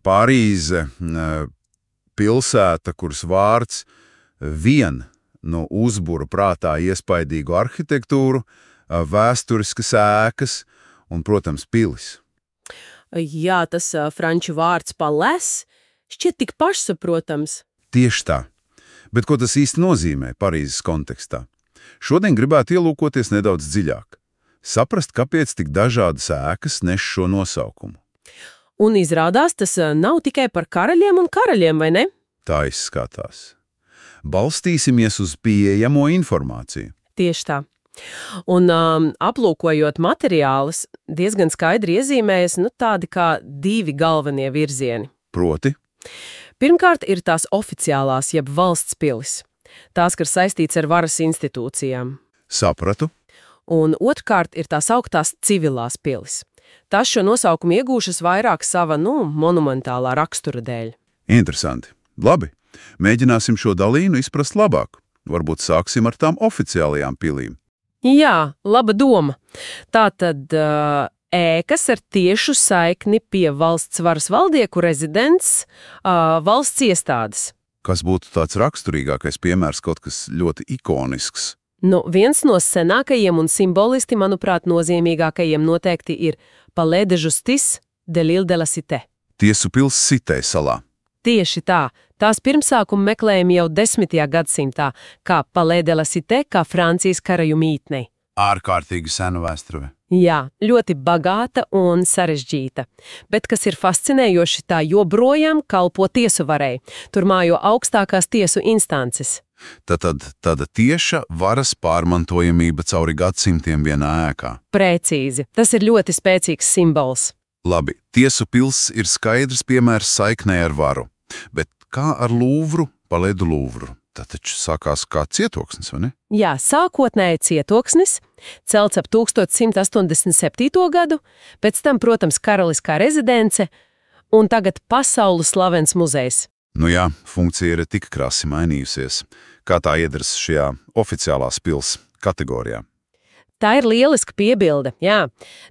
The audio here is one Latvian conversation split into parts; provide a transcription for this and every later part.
Parīze, pilsēta, kuras vārds vien uzbura prātā iespaidīgu arhitektūru, vēsturiskas ēkas un, protams, pilis. Jā, tas franču vārds palais šķiet tik pašsaprotams. Tieši tā. Bet ko tas īsti nozīmē Parīzes kontekstā? Šodien gribētu ielūkoties nedaudz dziļāk. Saprast, kāpēc tik dažādas ēkas nes šo nosaukumu. Un izrādās, tas nav tikai par karaļiem un karaļiem, vai ne? Tā izskatās. Balstīsimies uz pieejamo informāciju. Tieši tā. Un aplūkojot materiālus, diezgan skaidri iezīmējas tādi kā divi galvenie virzieni. Proti? Pirmkārt ir tās oficiālās, jeb valsts pilis. Tās, kas saistīts ar varas institūcijām. Sapratu. Un otrkārt ir tās augtās civilās pilis. Tās šo nosaukumu iegūšas vairāk sava, monumentālā rakstura dēļ. Interesanti. Labi. Mēģināsim šo dalījumu izprast labāk. Varbūt sāksim ar tām oficiālajām pilīm. Jā, laba doma. Tātad ēkas ar tiešu saikni pie valsts varas valdnieku rezidents, valsts iestādes. Kas būtu tāds raksturīgākais piemērs, kaut kas ļoti ikonisks? Viens no senākajiem un simbolisti, manuprāt, nozīmīgākajiem noteikti ir Palais de Justice de l'Île de la Cité. Tiesu pils Cité salā. Tieši tā. Tās pirmsākumu meklējumi jau 10. gadsimtā, kā Palais de la Cité, kā Francijas karaju mītnei. Ārkārtīgi sena vēsture. Jā, ļoti bagāta un sarežģīta. Bet, kas ir fascinējoši, tā joprojām kalpo tiesu varai. Tur mājo augstākās tiesu instances. Tāda tieša varas pārmantojamība cauri gadsimtiem vienā ēkā. Precīzi. Tas ir ļoti spēcīgs simbols. Labi, tiesu pils ir skaidrs piemērs saiknē ar varu. Bet kā ar Lūvru, Palais du Lūvru? Tā taču sākās kā cietoksnis, vai ne? Jā, sākotnēji cietoksnis, celts ap 1187. gadu, pēc tam, protams, karaliskā rezidence un tagad pasaules slavens muzejs. Jā, funkcija ir tik krasi mainījusies. Kā tā iedaras šajā oficiālās pils kategorijā? Tā ir lieliska piebilde, jā.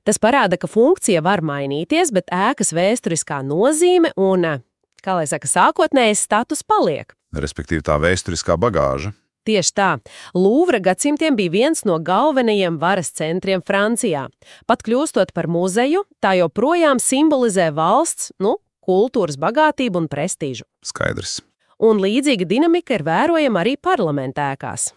Tas parāda, ka funkcija var mainīties, bet ēkas vēsturiskā nozīme un, sākotnējais status paliek. Respektīvi tā vēsturiskā bagāža. Tieši tā. Lūvra gadsimtiem bija viens no galvenajiem varas centriem Francijā. Pat kļūstot par muzeju, tā joprojām simbolizē valsts, kultūras bagātību un prestīžu. Skaidrs. Un līdzīga dinamika ir vērojama arī parlamentā ēkās.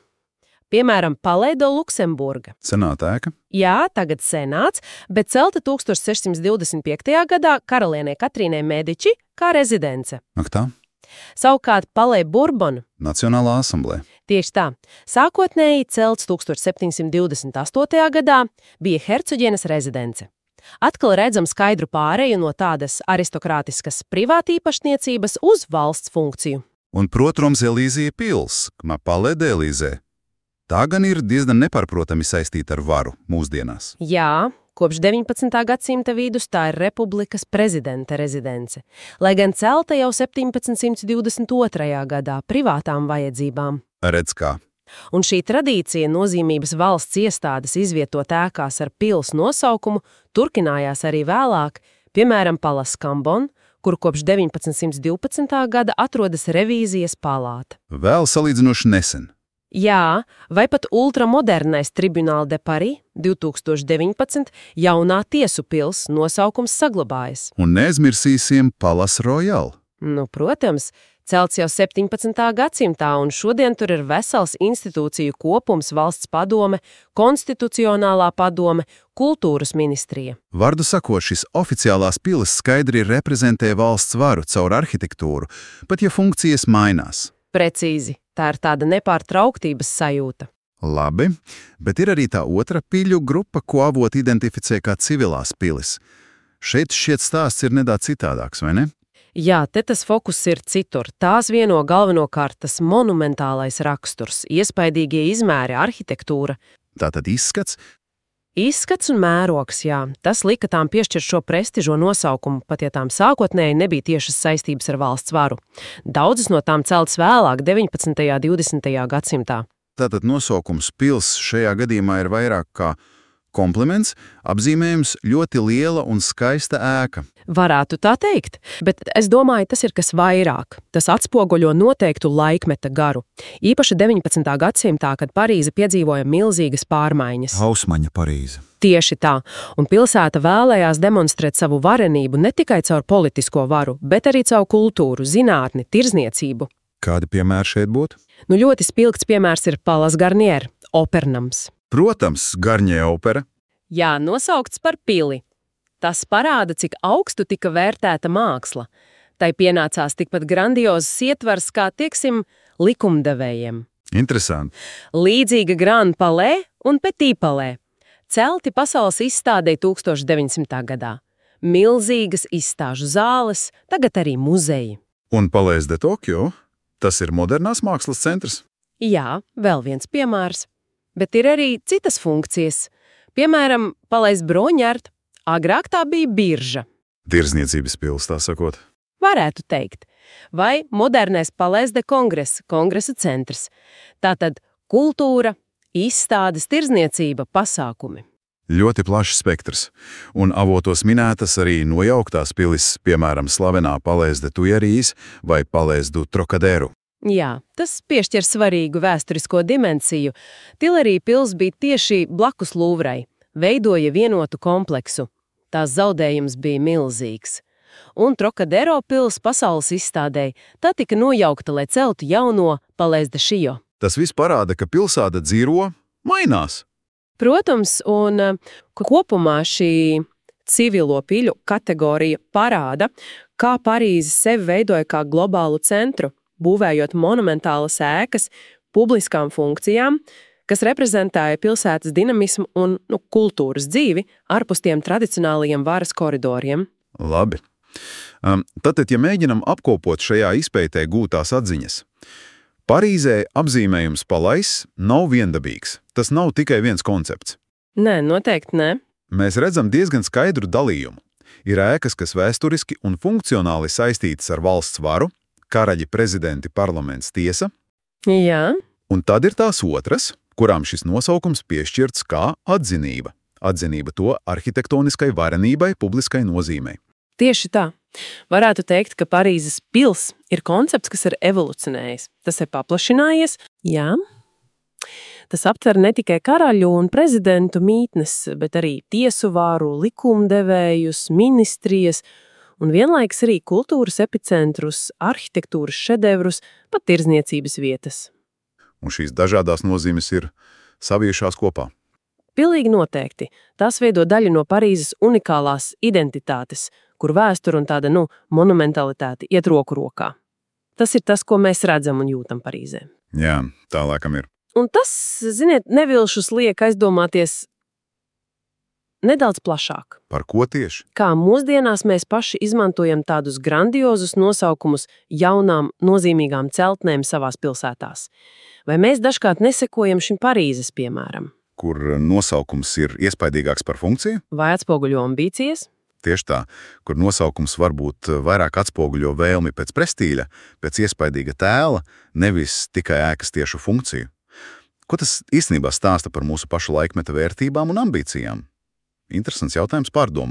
Piemēram, Palais de Luksemburga. Senāta ēka? Jā, tagad senāts, bet celta 1625. gadā karalienei Katrīnai Mediči kā rezidence. Ak tā? Savukārt Palais Bourbon. Nacionālā asamblē. Tieši tā. Sākotnēji celts 1728. gadā bija hercoģienes rezidence. Atkal redzam skaidru pāreju no tādas aristokrātiskas privātīpašniecības uz valsts funkciju. Un, protams, Elīzija pils, Palais d'Elysée. Tā gan ir diezgan nepārprotami saistīta ar varu mūsdienās. Jā, kopš 19. gadsimta vidus tā ir republikas prezidenta rezidence, lai gan celta jau 1722. gadā privātām vajadzībām. Redz kā. Un šī tradīcija nozīmības valsts iestādes izvietot ēkās ar pils nosaukumu turpinājās arī vēlāk, piemēram, Palais Cambon, kur kopš 1912. gada atrodas revīzijas palāta. Vēl salīdzinoši nesen. Jā, vai pat ultramodernais Tribunal de Paris 2019 jaunā tiesu pils nosaukums saglabājas. Un neaizmirsīsim Palais Royal. Protams, celts jau 17. gadsimtā, un šodien tur ir vesels institūciju kopums, valsts padome, konstitucionālā padome, kultūras ministrija. Vārdu sakot, šis oficiālās pilis skaidri reprezentē valsts varu caur arhitektūru, pat ja funkcijas mainās. Precīzi. Tā ir tāda nepārtrauktības sajūta. Labi, bet ir arī tā otra piļu grupa, ko avoti identificē kā civilās pilis. Šeit šķiet stāsts ir nedaudz citādāks, vai ne? Jā, te tas fokus ir citur. Tās vieno galvenokārt tas monumentālais raksturs, iespaidīgie izmēri, arhitektūra. Tātad izskats? Izskats un mērogs, jā. Tas lika tām piešķirt šo prestižo nosaukumu, pat ja tām sākotnēji nebija tiešas saistības ar valsts varu. Daudzas no tām celtas vēlāk, 19. un 20. gadsimtā. Tātad nosaukums pils šajā gadījumā ir vairāk kā Kompliments, apzīmējums ļoti liela un skaista ēka. Varētu tā teikt, bet es domāju, tas ir kas vairāk. Tas atspoguļo noteiktu laikmeta garu. Īpaši 19. gadsimtā, kad Parīze piedzīvoja milzīgas pārmaiņas. Hausmaņa Parīze. Tieši tā, un pilsēta vēlējās demonstrēt savu varenību ne tikai caur politisko varu, bet arī caur kultūru, zinātni, tirzniecību. Kādi piemēri šeit būtu? Ļoti spilgts piemērs ir Palace Garnier, opernams. Protams, Garnier opera. Jā, nosaukts par pili. Tas parāda, cik augstu tika vērtēta māksla. Tai pienācās tikpat grandiozs ietvars kā, tieksim, likumdevējiem. Interesanti. Līdzīga Grand Palais un Petit Palais. Celti pasaules izstādē 1900. gadā. Milzīgas izstāžu zāles, tagad arī muzeji. Un Palais de Tokio? Tas ir modernās mākslas centrs? Jā, vēl viens piemērs. Bet ir arī citas funkcijas. Piemēram, Palais Broņārt, agrāk tā bija birža. Tirzniecības pils, tā sakot. Varētu teikt. Vai modernais Palais de Congress, kongresa centrs. Tātad kultūra, izstādes, tirzniecība, pasākumi. Ļoti plašs spektrs. Un avotos minētas arī nojauktās pilis, piemēram, slavenā Palais de Tuileries vai Palais du Trocadero. Jā, tas piešķir svarīgu vēsturisko dimensiju. Tuileries pils bija tieši blakus Lūvrai, veidoja vienotu kompleksu. Tās zaudējums bija milzīgs. Un Trocadero pils pasaules izstādē, tā tika nojaukta, lai celtu jauno Palais de Chio. Tas viss parāda, ka pilsēta dzīvo, mainās. Protams, un kopumā šī civilo piļu kategorija parāda, kā Parīze sevi veidoja kā globālu centru, būvējot monumentālas ēkas publiskām funkcijām, kas reprezentēja pilsētas dinamismu un kultūras dzīvi ārpus tiem tradicionālajiem varas koridoriem. Labi. Tātad, ja mēģinam apkopot šajā izpētē gūtās atziņas, Parīzē apzīmējums Palais nav viendabīgs. Tas nav tikai viens koncepts. Nē, noteikti nē. Mēs redzam diezgan skaidru dalījumu. Ir ēkas, kas vēsturiski un funkcionāli saistītas ar valsts varu, karaļi, prezidenti, parlaments, tiesa. Jā. Un tad ir tās otras, kurām šis nosaukums piešķirts kā atzinība. Atzinība to arhitektoniskai varenībai, publiskai nozīmei. Tieši tā. Varētu teikt, ka Parīzes pils ir koncepts, kas ir evolucionējis. Tas ir paplašinājies, jā. Tas aptver ne tikai karaļu un prezidentu mītnes, bet arī tiesu vāru, likumdevējus, ministrijas un vienlaiks arī kultūras epicentrus, arhitektūras šedevrus, pat tirzniecības vietas. Un šīs dažādās nozīmes ir saviešās kopā. Pilnīgi noteikti. Tās veido daļu no Parīzes unikālās identitātes, kur vēsture un tāda, monumentalitāte iet roku rokā. Tas ir tas, ko mēs redzam un jūtam Parīzē. Jā, tā laikam ir. Un tas, ziniet, nevilšus liek aizdomāties nedaudz plašāk. Par ko tieši? Kā mūsdienās mēs paši izmantojam tādus grandiozus nosaukumus jaunām, nozīmīgām celtnēm savās pilsētās. Vai mēs dažkārt nesekojam šim Parīzes piemēram? Kur nosaukums ir iespaidīgāks par funkciju? Vai atspoguļo ambīcijas? Tieši tā, kur nosaukums varbūt vairāk atspoguļo vēlmi pēc prestīļa, pēc iespaidīga tēla, nevis tikai ēkas tiešu funkciju. Ko tas īstenībā stāsta par mūsu pašu laikmeta vērtībām un ambīcijām? Interesants jautājums pārdomāt.